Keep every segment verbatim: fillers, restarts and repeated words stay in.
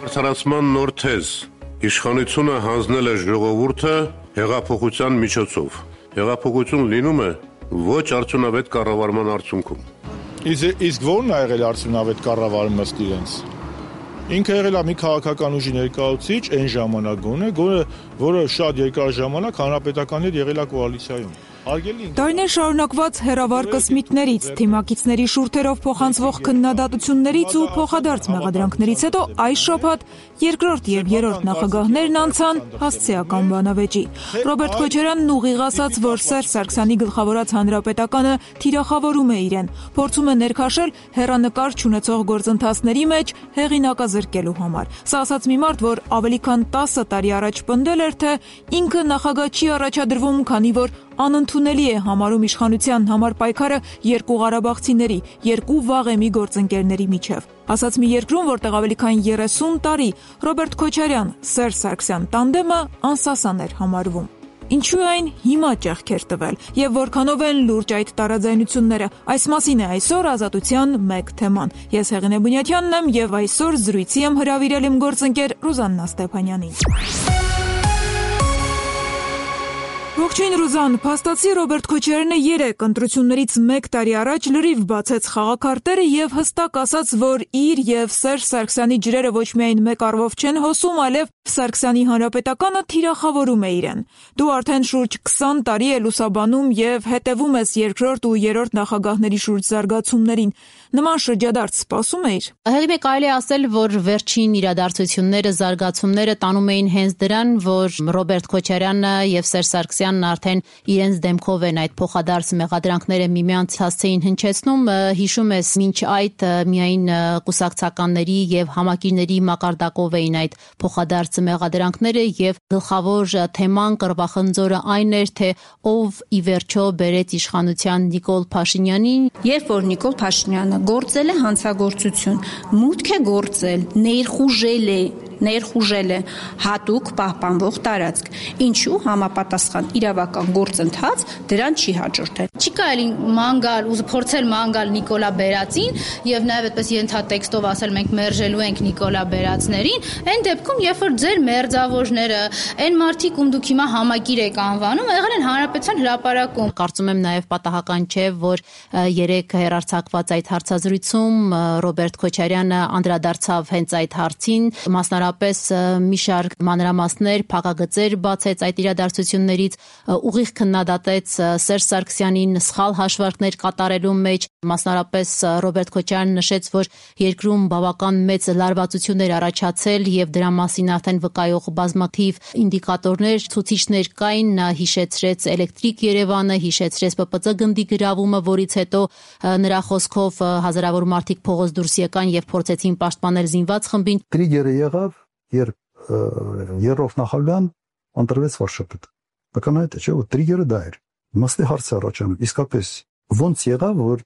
Արդարացման նոր թեզ. իշխանությունը հանձնել է ժողովուրդը հեղափոխության միջոցով։ Հեղափոխություն լինում է ոչ արդյունավետ կառավարման արդյունքում։ Իսկ ո՞րն է եղել արդյունավետ կառավարումը ըստ իրենց։ Ինքը եղել է մի քաղաքական ուժի ներկայացուցիչ այն ժամանակ գոնե, որը շատ երկար ժամանակ հանրապետականի հետ եղել է կոալիցիայում։ Տարիներ շարունակված հեռավար կսմիքներից, թիմակիցների շուրթերով փոխանցվող քննադատություններից ու փոխադարձ մեղադրանքներից հետո այս շաբաթ երկրորդ և երրորդ նախագահներն անցան հասցեական բանավեճի։ Ռոբերտ Քոչարյանն ուղիղ ասաց, որ Սերժ Սարգսյանի գլխավորած հանրապետականը թիրախավորում է իրեն, փորձում է ներքաշել հեռանկար չունեցող գործընթացների մեջ հեղինակազրկելու համար։ Սա ասաց մի մարդ, որ ավելի քան տասը տարի առաջ պնդել էր, թե ինքը նախագահ չի առաջադրվում, քանի որ անընդունելի է համարում իշխանության համար պայքարը երկու ղարաբաղցիների, երկու վաղեմի գործընկերների միջև։ Ասաց մի երկրում, որտեղ ավելի քան երեսուն տարի Ռոբերտ Քոչարյան, Սերժ Սարգսյան տանդեմը անսասան էր համարվում։ Ինչու այն հիմա ճեղքեր տվել եւ որքանով են լուրջ այդ տարաձայնությունները։ Այս մասին է այսօր Ազատության մեկ թեման։ Ես Հեղինե Բունյաթյանն եմ եւ այսօր զրույցի եմ հրավիրել իմ գործընկեր Ռուզաննա Ստեփանյանին։ Ողջույն Ռուզան, փաստացի Ռոբերտ Քոչարյանը երեք ընտրություններից մեկ տարի առաջ լրիվ բացեց խաղաքարտերը եւ հստակ ասաց, որ իր եւ Սերժ Սարգսյանի ջրերը ոչ միայն մեկ առվով չեն հոսում, այլև Սարգսյանի հանրապետականը թիրախավորում է իրեն։ Դու արդեն շուրջ քսան տարի է լուսաբանում եւ հետեւում ես երկրորդ ու երրորդ նախագահների շուրջ զարգացումներին։ Նման շրջադարձ սպասում էիր։ Հեղինե, կարելի է ասել, որ վերջին իրադարձությունները, զարգացումները տանում էին հենց դրան, որ Ռոբերտ Քոչարյանը եւ Սերժ Սարգսյանն արդեն իրենց դեմքով են այդ փոխադարձ մեղադրանքները միմյանց հասցեին հնչեցնում։ Հիշում ես, մինչ այդ միայն կուսակցականների եւ համակիրների մակարդակով էին այդ փոխադարձ մեղադրանքները եւ գլխավոր թեման, կռվախնձորը այն էր, թե ով ի վերջո բերեց իշխանության Նիկոլ Փաշինյանին։ Երբ որ Նիկոլ Փաշինյանը գործել է հանցագործություն, մուտք է գործել, ներխուժել է, ներխուժել է հատուկ պահպանվող տարածք, ինչու համապատասխան իրավական գործընթաց դրան չի հաջորդել։ Չի կարելի ման գալ ու փորձել ման գալ Նիկոլա Բերածին եւ նաեւ այդպես ենթատեքստով ասել մենք մերժելու ենք Նիկոլա Բերածներին, այն դեպքում, երբ որ ձեր մերձավորները, այն մարդիկ, ում դուք հիմա համակիր եք անվանում, եղել են հանրապետության հրապարակում։ Կարծում եմ նաեւ պատահական չէ, որ երեք հերարցակված այդ հարցազրույցում Ռոբերտ Քոչարյանը անդրադարձավ հենց այդ հարցին, մասնարարպես մի շարք մանրամասներ, փակագծեր բացեց այդ իրադարձություններից, ուղիղ քննադատեց Սերժ Սարգսյանին սխալ հաշվարկներ կատարելու մեջ, մասնարարպես Ռոբերտ Քոչարյանը նշեց, որ երկրում բավական մեծ լարվածություն էր առաջացել եւ դրա մասին արդեն վկայող բազմաթիվ ինդիկատորներ, ցուցիչներ կային, նա հիշեցրեց էլեկտրիկ Երևանը, հիշեցրեց Պ Պ Ծ գնդի գրավումը, որից հետո նրա խոսքով հազարավոր մարդիկ փողոց դուրս եկան եւ փորձեցին պաշտպանել զինված խմբին։ Տրիգերը եղավ, երբ երրորդ նախագահան ընտրվեց վարչապետ։ Ակնհայտ է, չէ՞, որ տրիգերը դա էր։ Մստի հարց է առաջանում, իսկապես ո՞նց եղավ, որ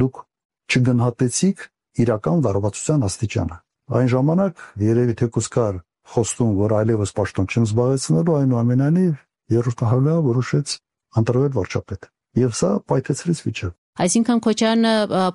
դուք չգնահատեցիք իրական լարվածության աստիճանը։ Այն ժամանակ երևի թեկուզ կար խոստում, որ այլևս պաշտոն չեմ զբաղեցնելու, այնուամենայնիվ երրորդ նախագահը որոշեց ընտրվել վարչապետ։ Եվ սա պայթեցրեց վիճակը։ Այսինքն Քոչարյանը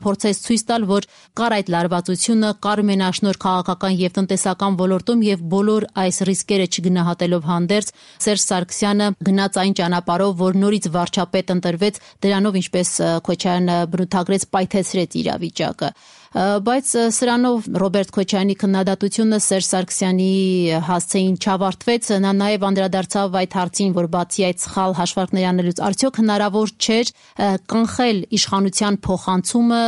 փորձեց ցույց տալ, որ կար այդ լարվածությունը, կար մենաշնորհ քաղաքական եւ տնտեսական ոլորտում եւ բոլոր այս ռիսկերը չգնահատելով հանդերձ Սերժ Սարգսյանը գնաց այն ճանապարհով, որ նորից վարչապետ ընտրվեց, դրանով ինչպես Քոչարյանը բնութագրեց, պայթեցրեց իրավիճակը։ Բայց սրանով Ռոբերտ Քոչարյանի քննադատությունը Սերժ Սարգսյանի հասցեին չավարտվեց, նա նաև անդրադարձավ այդ հարցին, որ բացի այդ սխալ հաշվարկների անելուց արդյոք հնարավոր չէր կանխել իշխանության փոխանցումը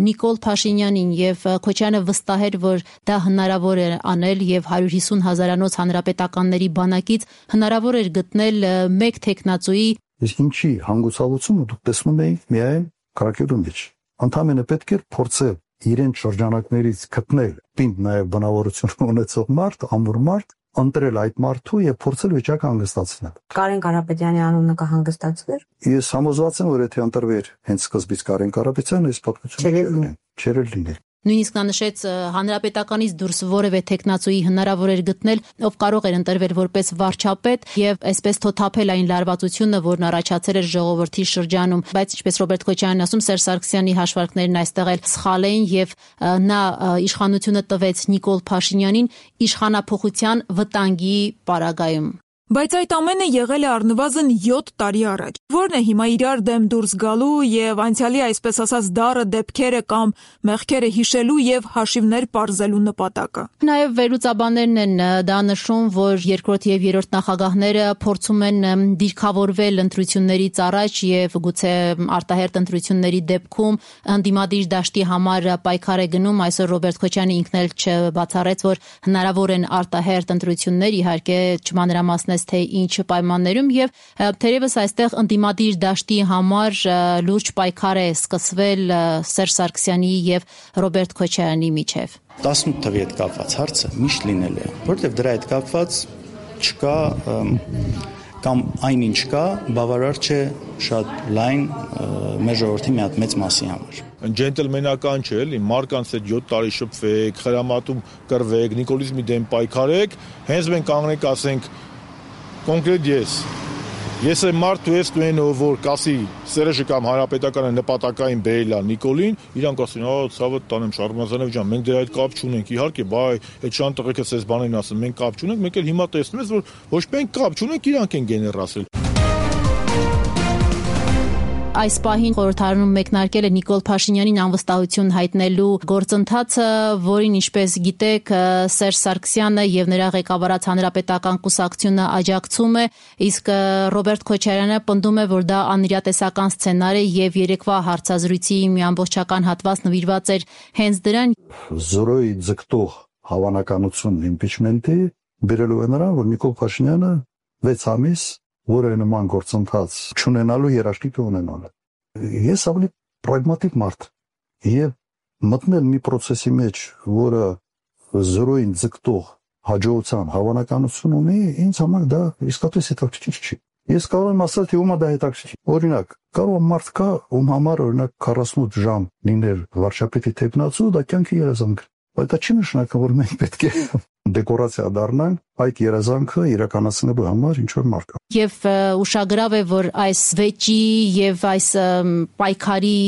Նիկոլ Փաշինյանին, եւ Քոչարյանը վստահ էր, որ դա հնարավոր է անել եւ հարյուր հիսուն հազարանոց հանրապետականների բանակից հնարավոր էր գտնել մեկ տեխնացուի։ Իսկ ինչի հանգուցալուծումը դուք տեսնում եք միայն քաղաքերու մեջ։ Ընդհանրապես պետք է փորձել իրեն շրջանակներից գտնել պինդ նաև բնավորություն ունեցող մարդ, ամուր մարդ, ընտրել այդ մարդու եւ փորձել վիճակը հանգստացնել։ Կարեն Կարապետյանի անունը կհանգստացվեր։ Ես համոզված եմ, որ եթե ընտրվեր հենց սկզբից Կարեն Կարապետյանը, այս պատմությունը չէր լինել։ Նույնիսկ նա նշեց հանրապետականից դուրս որևէ տեխնացուի հնարավոր էր գտնել, ով կարող էր ընտրվել որպես վարչապետ եւ այսպես թոթափել այն լարվածությունը, որն առաջացել էր ժողովրդի շրջանում, բայց ինչպես Ռոբերտ Քոչարյանն ասում, Սերժ Սարգսյանի հաշվարկներն այստեղ էլ սխալ էին եւ նա իշխանությունը տվեց Նիկոլ Փաշինյանին իշխանափոխության վտանգի պարագայում։ Բայց այդ ամենը եղել է առնվազն յոթ տարի առաջ։ Որն է հիմա իրար դեմ դուրս գալու եւ անցյալի այսպես ասած դառը դեպքերը կամ մեղքերը հիշելու եւ հաշիվներ պարզելու նպատակը։ Նաեւ վերլուծաբաններն են դա նշում, որ երկրորդ եւ երրորդ նախագահները փորձում են դիրքավորվել ընտրություններից առաջ եւ գուցե արտահերտ ընտրությունների դեպքում ընդդիմադիր դաշտի համար պայքար է գնում։ Այսօր Ռոբերտ Քոչյանը ինքն էլ չբացառեց, որ հնարավոր են արտահերտ ընտրություններ, իհարկե չմանրամասնեց թե ինչ պայմաններում եւ թերևս այստեղ ընդդիմադիր դաշտի համար լուրջ պայքար է սկսվել Սերժ Սարգսյանի եւ Ռոբերտ Քոչարյանի միջեւ։ տասնութ թվի հետ կապված հարցը միշտ լինել է, որովհետեւ դրա հետ կապված չկա կամ այնինչ կա, բավարար չէ շատ լայն մեր ժողովրդի մի հատ մեծ մասի համար։ Ջենտլմենական չէ, էլի, մարկանց հետ յոթ տարի շփվեք, խրամատում կռվեք, նիկոլիզմի դեմ պայքարեք, հենց մենք կանգնենք ասենք կոնկրետ ես ես եմ մարդ ու ես դու ով որ կասի Սերժը կամ հանրապետականը նպատակային բերել է Նիկոլին, իրանք ասեն, «Ա, ցավը տանեմ Շարմազանով ջան, մենք դրա հետ կապ չունենք»։ Իհարկե, բայ, այդ շան տղեկը ցես բանին ասում, մենք կապ չունենք, մենք էլ հիմա տեսնում ես, որ ոչ մենք կապ չունենք, իրանք են գեներ ասել։ Այս պահին խորհրդարանում մեկնարկել է Նիկոլ Փաշինյանին անվստահություն հայտնելու գործընթացը, որին ինչպես գիտեք Սերժ Սարգսյանը եւ նրա ղեկավարած հանրապետական կուսակցությունը աջակցում է, իսկ Ռոբերտ Քոչարյանը պնդում է, որ դա անիրատեսական սցենար է եւ երեկվա հարցազրույցի մի ամբողջական հատված նվիրված էր հենց դրան։ Զորոյի ձգտող հավանականություն իմպիչմենտի բերելու է նրան, որ Նիկոլ Փաշինյանը վեց ամիս որը նման գործընթաց չունենալու երաշխիք ունենալ։ Ես ավելի պրագմատիկ մարդ եւ մտնել մի process-ի մեջ, որը զորոյին ձգտող հաջողության հավանականություն ունի, ինձ համար դա իսկապես հետաքրքիր չի։ Ես կարող եմ ասել, թե ումա դա հետաքրքիր։ Օրինակ, կարող մարդ կա, ում համար օրինակ քառասունութ ժամ լինել վարչապետի տեխնացու, դա կյանքի երազանք։ Բայց դա չի նշանակում, որ մենք պետք է դեկորացիա դառնանք այդ երազանքը իրականացնելու համար ինչ որ մարդ կա։ Եվ ուշագրավ է, որ այս վեճի եւ այս պայքարի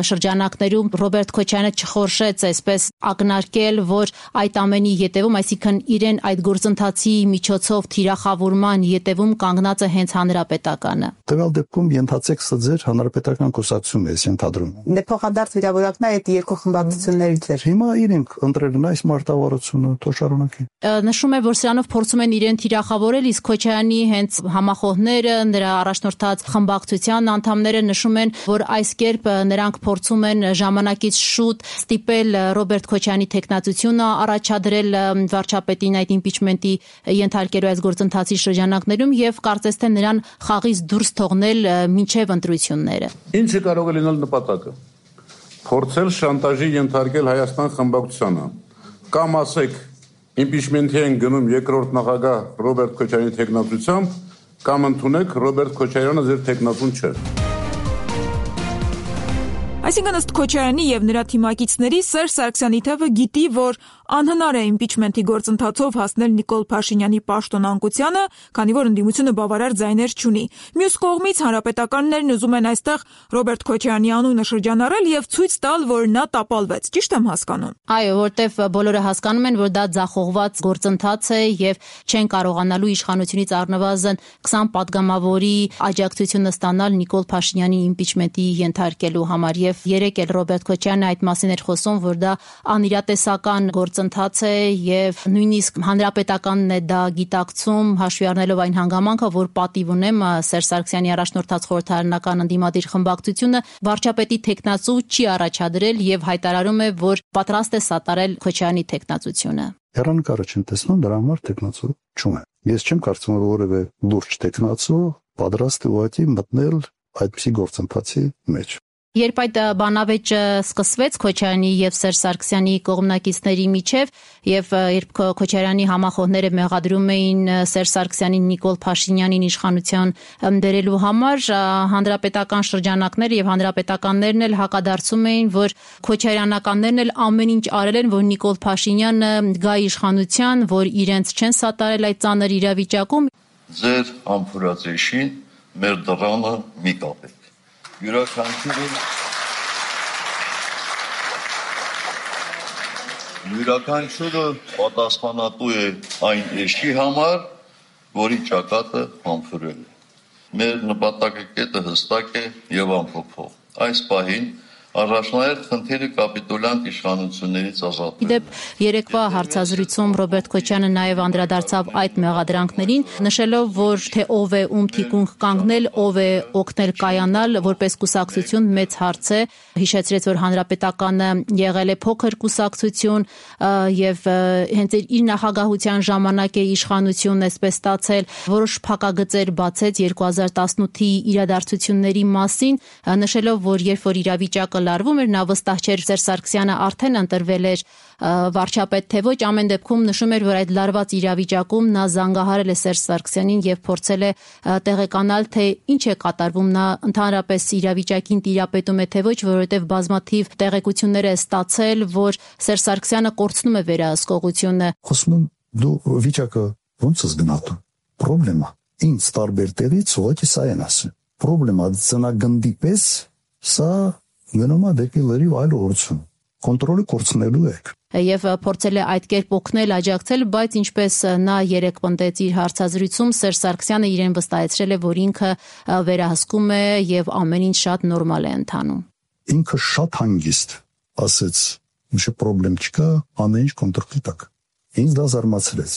շրջանակներում Ռոբերտ Քոչարյանը չխորշեց այսպես ակնարկել, որ այդ ամենի ետևում, այսինքն իրեն այդ գործընթացի միջոցով թիրախավորման ետևում կանգնած է հենց հանրապետականը։ Տվյալ դեպքում ենթացեք սա ձեր հանրապետական կուսակցությունն է ենթադրում։ Դե փոխադարձ վիրավորակն է այդ երկու խմբակցություններից էր։ Հիմա իրենք ընտրել են այս մարտավարությունը, թող շարունակի։ Նշում է, որ սրանով փորձում են իրեն թիրախավորել, իսկ Քոչարյանի հենց համախոհները, նրա առաջնորդած խմբակցության անդամները նշում են, որ այս կերպ նրանք փորձում են ժամանակից շուտ ստիպել Ռոբերտ Քոչարյանի տեխնացությունը առաջադրել վարչապետին այդ իմպիչմենտի ենթարկելու այս գործընթացի շրջանակներում եւ կարծես թե նրան խաղից դուրս թողնել մինչեւ ընտրությունները։ Ինչը կարող է լինել նպատակը։ Փորձել շանտաժի ենթարկել Հայաստան խմբակցությանը կամ ասեք իմպիչմենտի են գնում երկրորդ նախագահ Ռոբերտ Քոչարյանի տեխնացությամբ կամ ընդունեք Ռոբերտ Քոչարյանը ձեր տեխնացուն չէ։ Այսինքն ըստ Քոչարյանի եւ նրա թիմակիցների Սերժ Սարգսյանի թևը գիտի, որ անհնար է իմպիչմենտի գործընթացով հասնել Նիկոլ Փաշինյանի պաշտոնանկությանը, քանի որ ընդդիմությունը բավարար ձայներ չունի։ Մյուս կողմից հանրապետականներն ուզում են այստեղ Ռոբերտ Քոչարյանի անունը շրջանառել եւ ցույց տալ, որ նա տապալվեց։ Ճիշտ եմ հասկանում։ Այո, որտեվ բոլորը հասկանում են, որ դա ձախողված գործընթաց է եւ չեն կարողանալու իշխանությունից առնվազն քսան պատգամավորի աջակցությունը ստանալ Նիկոլ Փաշինյանի իմպիչմենտի ենթարկելու համար եւ երեք էլ Ռոբերտ Քոչարյանը այդ մասին էր խոսում, որ դա անիրատեսական գործընթաց է եւ նույնիսկ հանրապետականն է դա գիտակցում, հաշվի առնելով այն հանգամանքը, որ պատիվ ունեմ Սերժ Սարգսյանի առաջնորդած խորհրդարանական ընդդիմադիր խմբակցությունը վարչապետի տեխնացու չի առաջադրել եւ հայտարարում է, որ պատրաստ է սատարել Քոչարյանի տեխնացությունը։ Հեռանկարը չեմ տեսնում, դրա համար տեխնացու չունեմ։ Ես չեմ կարծում, որ որևէ լուրջ տեխնացու պատրաստ է ուղղակի մտնել այդպիսի գործընթացի մեջ։ Երբ այդ բանավեճը սկսվեց Քոչարյանի եւ Սերժ Սարգսյանի կողմնակիցների միջև եւ երբ Քոչարյանի համախոհները մեղադրում էին Սերժ Սարգսյանին Նիկոլ Փաշինյանին իշխանության դերելու համար, հանրապետական շրջանակները եւ հանրապետականներն էլ հակադարձում էին, որ քոչարյանականներն էլ ամեն ինչ արել են, որ Նիկոլ Փաշինյանը գա իշխանության, որ իրենց չեն սատարել այդ ծանր իրավիճակում։ Ձեր համբուրացեշին մեր դռանը մի կապեք։ Յուրաքանչյուրը յուրաքանչյուրը պատասխանատու է այն էշի համար, որի ճակատը համբուրել է։ Մեր նպատակը կետը հստակ է եւ անփոփոխ։ Այս պահին առաջնահերթ խնդիրը կապիտուլյանտ իշխանություններից ազատվելն է։ Իդեպ երեկվա հարցազրույցում Ռոբերտ Քոչյանը նաև անդրադարձավ այդ մեղադրանքներին, նշելով, որ թե ով է ում թիկունք կանգնել, ով է օգնել կայանալ, որպես կուսակցություն մեծ հարց է, հիշեցրեց, որ հանրապետականը եղել է փոքր կուսակցություն եւ հենց իր նախագահության ժամանակ է իշխանությունն այսպես ստացել, որոշ փակագծեր բացեց երկու հազար տասնութի իրադարձությունների մասին, նշելով, որ երբ որ իրավիճակը լարվում էր, նա վստահ չէր Սերժ Սարգսյանը արդեն ընտրվել էր վարչապետ, թե ոչ, ամեն դեպքում նշում էր, որ այդ լարված իրավիճակում նա զանգահարել է Սերժ Սարգսյանին եւ փորձել է տեղեկանալ, թե ինչ է կատարվում, նա ընդհանրապես իրավիճակին տիրապետում է, թե ոչ, որովհետեւ բազմաթիվ տեղեկություններ է ստացել, որ Սերժ Սարգսյանը կորցնում է վերահսկողությունը։ Խոսում եմ, դու վիճակը ո՞նց ես գնահատում։ Պրոբլեմա ինձ տարբեր տեղից ուղղակի սա են ասում։ Պրոբլեմա ծնագնդի պես սա գնում է դեպի լրիվ այլ ուղղություն։ Կոնտրոլը կորցնելու եք։ Եվ փորձել է այդ կերպ օգնել, աջակցել, բայց ինչպես նա երեք պնդեց իր հարցազրույցում, Սերժ Սարգսյանը իրեն վստահեցրել է, որ ինքը վերահսկում է եւ ամեն ինչ շատ նորմալ է ընթանում։ Ինքը շատ հանգիստ ասեց, ինչ պրոբլեմ չկա, ամեն ինչ կոնտրոլի տակ։ Ինձ դա զարմացրեց։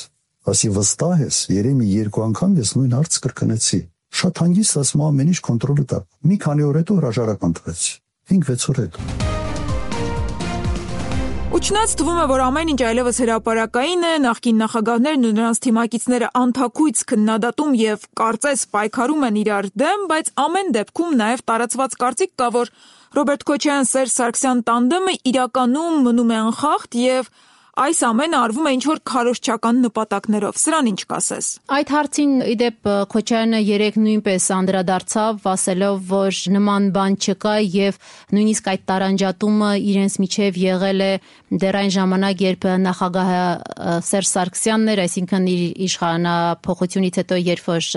Ասի վստահ ես, երեմի երկու անգամ ես նույն հարցը կրկնեցի։ Շատ հանգիստ ասում ամեն ինչ կոնտրոլի տակ։ Մի քանի օր հետո հրաժարական տվեց։ Ինք-վեց օր հետո։ Ու չնայած թվում է, որ ամեն ինչ այլևս հրապարակային է, նախկին նախագահներն ու նրանց թիմակիցները անթաքույց քննադատում եւ կարծես պայքարում են իրար դեմ, բայց ամեն դեպքում նաեւ տարածված կարծիք կա, որ Ռոբերտ Քոչարյան-Սերժ Սարգսյան տանդեմը իրականում մնում է անխախտ եւ այս ամենը արվում է ինչ-որ քարոզչական նպատակներով։ Սրան ինչ կասես։ Այդ հարցին իդեպ Քոչարյանը երեք նույնպես անդրադարձավ, ասելով, որ նման բան չկա եւ նույնիսկ այդ տարանջատումը իրենց միջև եղել է դեռ այն ժամանակ, երբ նախագահը Սերժ Սարգսյանն էր, այսինքն իր իշխանափոխությունից հետո, երբ որ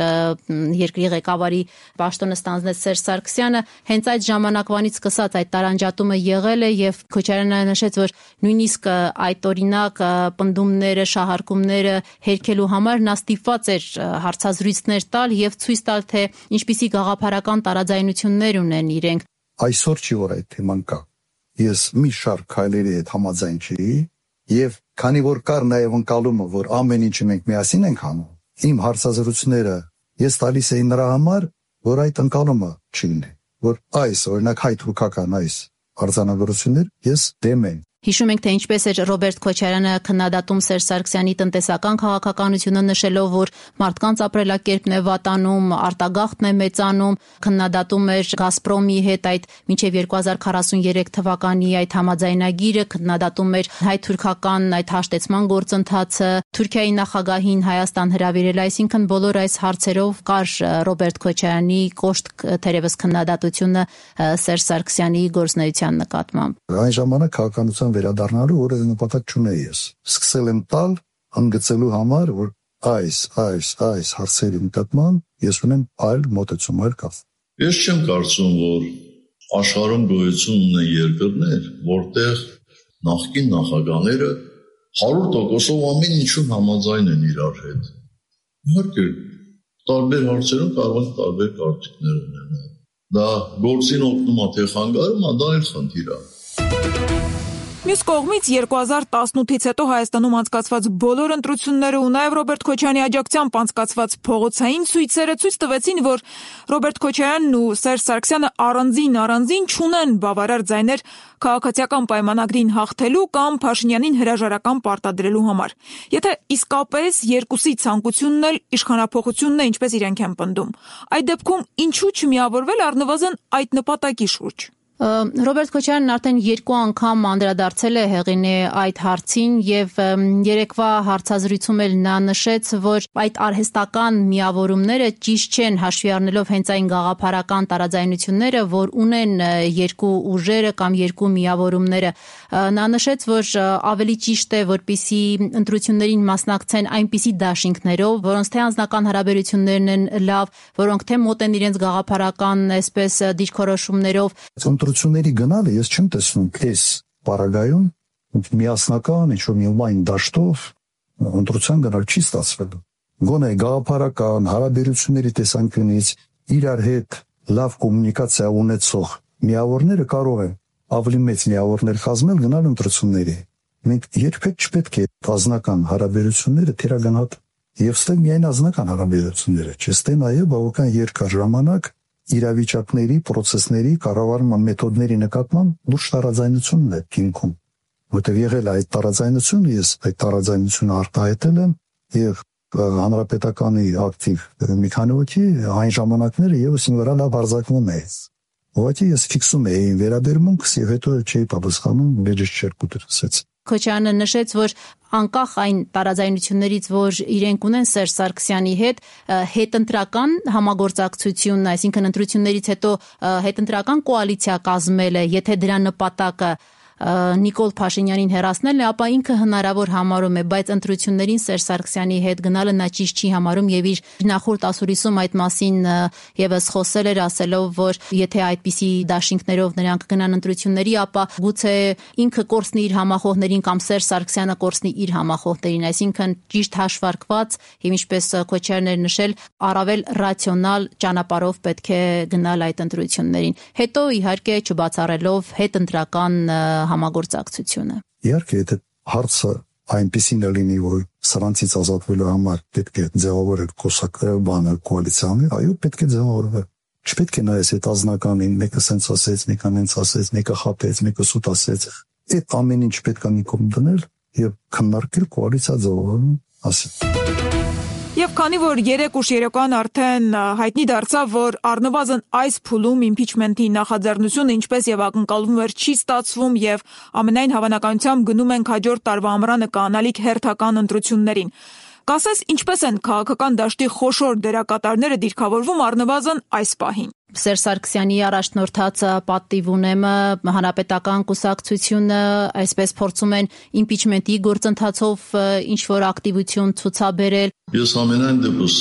երկրի ղեկավարի պաշտոնը ստանձնեց Սերժ Սարգսյանը, հենց այդ ժամանակվանից սկսած այդ տարանջատումը եղել է եւ Քոչարյանը նշեց, որ նույնիսկ այդ օրի պնդումները, շահարկումները հերքելու համար նա ստիպված էր հարցազրույցներ տալ եւ ցույց տալ, թե ինչպիսի գաղափարական տարաձայնություններ ունեն իրենք։ Այսօր չի որ այդ թեման կա։ Ես մի շարք քայլերի հետ համաձայն չի եւ քանի որ կար նաեւ ընկալումը, որ ամեն ինչը մենք միասին ենք անում, իմ հարցազրույցները ես տալիս էի նրա համար, որ այդ ընկալումը չլինի, որ այս օրինակ հայ-թուրքական այս արձանագրություններ ես դեմ եմ։ Հիշում ենք, թե ինչպես էր Ռոբերտ Քոչարյանը քննադատում Սերժ Սարգսյանի տնտեսական քաղաքականությունը, նշելով, որ մարդկանց ապրելակերպն է վատանում, արտագաղթն է մեծանում, քննադատում էր Գազպրոմի հետ այդ մինչև երկու հազար քառասուներեք թվականի այդ համաձայնագիրը, քննադատում էր հայ-թուրքական այդ հաշտեցման գործընթացը, Թուրքիայի նախագահին Հայաստան հրավիրել, այսինքն բոլոր այս հարցերով կար Ռոբերտ Քոչարյանի կոշտ թերևս քննադատությունը Սերժ Սարգսյանի գործունեության նկատմամբ։ Այն ժամանակ քաղաքականության վերադառնալու որևէ նպատակ չունեի ես։ Սկսել եմ տալ հանգեցելու համար, որ այս, այս, այս հարցերի նկատմամբ ես ունեմ այլ մոտեցում, այլ կապ։ Ես չեմ կարծում, որ աշխարհում գոյություն ունեն երկրներ, որտեղ նախկին նախագահները հարյուր տոկոսով ամեն ինչում համաձայն են իրար հետ։ Իհարկե, տարբեր հարցերում կարող են տարբեր կարծիքներ ունենալ։ Դա գործին օգնում է թե խանգարում է, դա այլ խնդիր է։ Մյուս կողմից երկու հազար տասնութից հետո Հայաստանում անցկացված բոլոր ընտրությունները ու նաև Ռոբերտ Քոչարյանի աջակցությամբ անցկացված փողոցային ցույցերը ցույց տվեցին, որ Ռոբերտ Քոչարյանն ու Սերժ Սարգսյանը առանձին առանձին չունեն բավարար ձայներ քաղաքացիական պայմանագրին հաղթելու կամ Փաշինյանին հրաժարական պարտադրելու համար։ Եթե իսկապես երկուսի ցանկությունն էլ իշխանափոխությունն է, ինչպես իրենք են պնդում, այդ դեպքում ինչու չմիավորվել առնվազն այդ նպատակի շուրջ։ Ռոբերտ Քոչարյանն արդեն երկու անգամ անդրադարձել է Հեղինե այդ հարցին եւ երեկվա հարցազրույցում էլ նա նշեց, որ այդ արհեստական միավորումները ճիշտ չեն, հաշվի առնելով հենց այն գաղափարական տարաձայնությունները, որ ունեն երկու ուժերը կամ երկու միավորումները։ Նա նշեց, որ ավելի ճիշտ է, որպեսզի ընտրություններին մասնակցեն այնպիսի դաշինքներով, որոնց թե անձնական հարաբերություններն են լավ, որոնք թե մոտ են իրենց գաղափարական այսպես դիրքորոշումներով։ Ընտրությունների գնալը ես չեմ տեսնում այս պարագայում միասնական ինչ-որ մի լայն դաշտով ընտրության գնալ չի ստացվելու։ Գոնե գաղափարական հարաբերությունների տեսանկյունից իրար հետ լավ կոմունիկացիա ունեցող միավորները կարող են ավելի մեծ միավորներ կազմել գնալ ընտրությունների։ Մենք երբեք չպետք է ազնական հարաբերությունները թերագնահատել։ Եվ ստե միայն ազնական հարաբերությունները, չէ՞ ստե նաև բավական երկար ժամանակ իրավիճակների, պրոցեսների, կառավարման մեթոդների նկատմամբ լուրջ տարաձայնությունն է հիմքում, որտեղ եղել է այդ տարաձայնությունը, ես այդ տարաձայնությունը արտահայտել եմ եւ հանրապետականի ակտիվ մի քանի հոգի այն ժամանակները եւս ինձ վրա լավ արձակվում է։ Ուղղակի ես ֆիքսում էի վերաբերմունքս եւ հետո չէի պատասխանում, մեջս չէր կուտրսեց։ Քոչարյանը նշեց, որ անկախ այն տարաձայնություններից, որ իրենք ունեն Սերժ Սարգսյանի հետ, հետընտրական համագործակցություն, այսինքն ընտրություններից հետո հետընտրական կոալիցիա կազմելը, եթե դրա նպատակը Նիկոլ Փաշինյանին հեռացնելն է, ապա ինքը հնարավոր համարում է, բայց ընտրություններին Սերժ Սարգսյանի հետ գնալը նա ճիշտ չի համարում եւ իր նախորդ ասուլիսում այդ մասին եւս խոսել էր, ասելով, որ եթե այդպիսի դաշինքներով նրանք գնան ընտրությունների, ապա գուցե ինքը կորցնի իր համախոհներին կամ Սերժ Սարգսյանը կորցնի իր համախոհներին, այսինքն ճիշտ հաշվարկված եւ ինչպես Քոչարյանն էր նշել, առավել ռացիոնալ ճանապարհով պետք է գնալ այդ ընտրություններին։ Հետո իհարկե չբացառելով հետընտրական համագործակցությունը։ Իհարկե, եթե հարցը այնպեսին է լինի, որ սրանցից ազատվելու համար պետք է ձևավորել կուսակցական բանը կոալիցիան, այո, պետք է ձևավորել։ Չպետք է նայես այդ ազնականին, մեկը սենց ասեց, մեկը նենց ասեց, մեկը խաբեց, մեկը սուտ ասեց։ Այդ ամեն ինչ պետք է մի կողմ դնել եւ քննարկել կոալիցիա ձևավորում ասել։ Եվ քանի որ երեք ուշ երեկոյան արդեն հայտնի դարձավ, որ առնվազն այս փուլում իմպիչմենտի նախաձեռնությունը ինչպես եւ ակնկալվում էր չի ստացվում եւ ամենայն հավանականությամբ գնում ենք հաջորդ տարվա ամռանը կանալիք հերթական ընտրություններին։ Կասես, ինչպես են քաղաքական դաշտի խոշոր դերակատարները դիրքավորվում առնվազն այս պահին։ Սերժ Սարգսյանի առաջնորդած պատիվ ունեմը հանրապետական կուսակցությունը այսպես փորձում են իմպիչմենտի գործընթացով ինչ որ ակտիվություն ցուցաբերել։ Ես ամենայն դեպս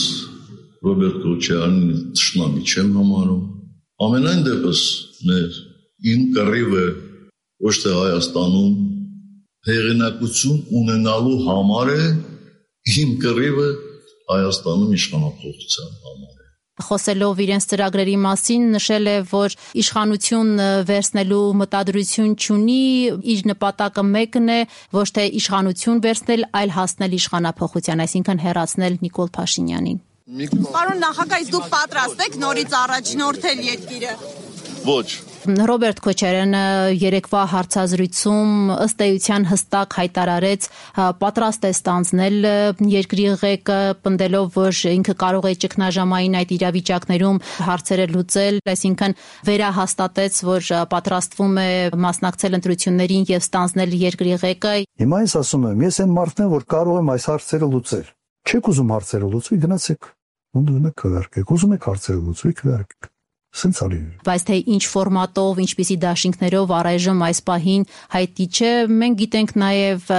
Ռոբերտ Քոչարյանին ճշնամի չեմ համարում։ Ամենայն դեպս մեր իմ կռիվը ոչ թե Հայաստանում հեղինակություն ունենալու համար է, իմ կռիվը Հայաստանում իշխանապողության համար է։ Խոսելով իրենց ծրագրերի մասին նշել է, որ իշխանություն վերցնելու մտադրություն չունի, իր նպատակը մեկն է, ոչ թե իշխանություն վերցնել, այլ հասնել իշխանափոխության, այսինքն հեռացնել Նիկոլ Փաշինյանին։ Պարոն նախագահ, դուք պատրաստ եք նորից առաջնորդել երկիրը։ Ոչ։ Ռոբերտ Քոչարյանը երեկվա հարցազրույցում ըստ էության հստակ հայտարարեց պատրաստ է ստանձնել երկրի ղեկը, պնդելով, որ ինքը կարող է ճգնաժամային այդ իրավիճակներում հարցերը լուծել, այսինքն վերահաստատեց, որ պատրաստվում է մասնակցել ընտրություններին եւ ստանձնել երկրի ղեկը։ Հիմա ես ասում եմ, ես այն մարդն եմ, որ կարող եմ այս հարցերը լուծել։ Չեք ուզում հարցերը լուծի, գնացեք։ Ոնց քվարկեք, ուզում եք հարցերը լուծի, քվարկեք։ Բայց թե ինչ ֆորմատով, ինչպիսի դաշինքներով առայժմ այս պահին հայտնի չէ, մենք գիտենք նաև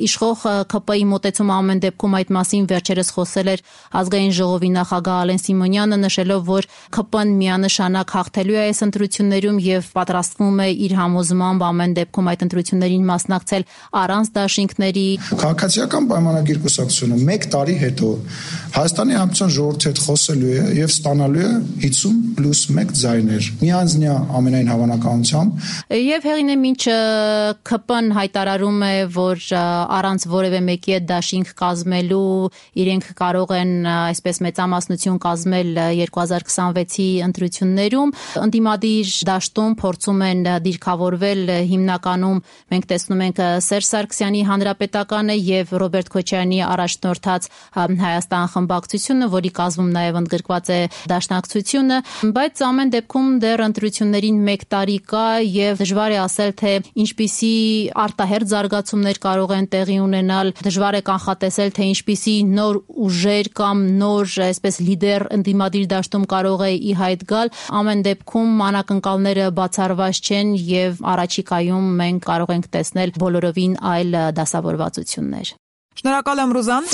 իշխող ՔՊ-ի մոտեցումը ամեն դեպքում այդ մասին վերջերս խոսել էր ազգային ժողովի նախագահ Ալեն Սիմոնյանը, նշելով, որ ՔՊ-ն միանշանակ հաղթելու է այս ընտրություններում եւ պատրաստվում է իր համոզմամբ ամեն դեպքում այդ ընտրություններին մասնակցել առանց դաշինքների։ Քաղաքացիական պայմանագիր կուսակցությունը մեկ տարի հետո Հայաստանի Հանրապետության ժողովրդի հետ խոսելու է եւ ստանալու է հիսուն պլյուս մեկ ձայներ։ Միանձնյա ամենայն հավանականությամբ։ Եվ հեղինե մինչ ՔՊ-ն հայտարարում է, որ առանց որևէ մեկի հետ դաշինք կազմելու իրենք կարող են այսպես մեծամասնություն կազմել երկու հազար քսանվեցի ընտրություններում, ընդդիմադիր դաշտում փորձում են դիրքավորվել հիմնականում մենք տեսնում ենք Սերժ Սարգսյանի հանրապետականը եւ Ռոբերտ Քոչարյանի առաջնորդած Հայաստան խմբակցությունը, որի կազմում նաեւ ընդգրկված է Դաշնակցությունը, բայց ամեն դեպքում դեռ ընտրություններին մեկ տարի կա եւ դժվար է ասել, թե ինչպիսի արտահերթ զարգացումներ կարող են տեղի ունենալ, դժվար է կանխատեսել, թե ինչպիսի նոր ուժեր կամ նոր, այսպես լիդեր ընդդիմադիր դաշտում կարող է ի հայտ գալ։ Ամեն դեպքում անակնկալները բացառված չեն եւ առաջիկայում մենք կարող ենք տեսնել բոլորովին այլ դասավորվածություններ։ Շնորհակալ եմ, Ռուզան։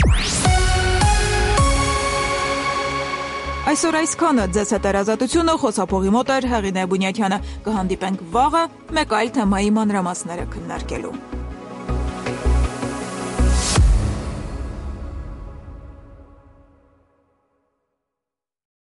Այսօր այսքանը ձեզ հետ երազատությունը խոսափողի մոտ էր Հեղինե Բունյաթյանը։ Կհանդիպենք վաղը մեկ այլ թեմայի մանրամասները քննարկելու։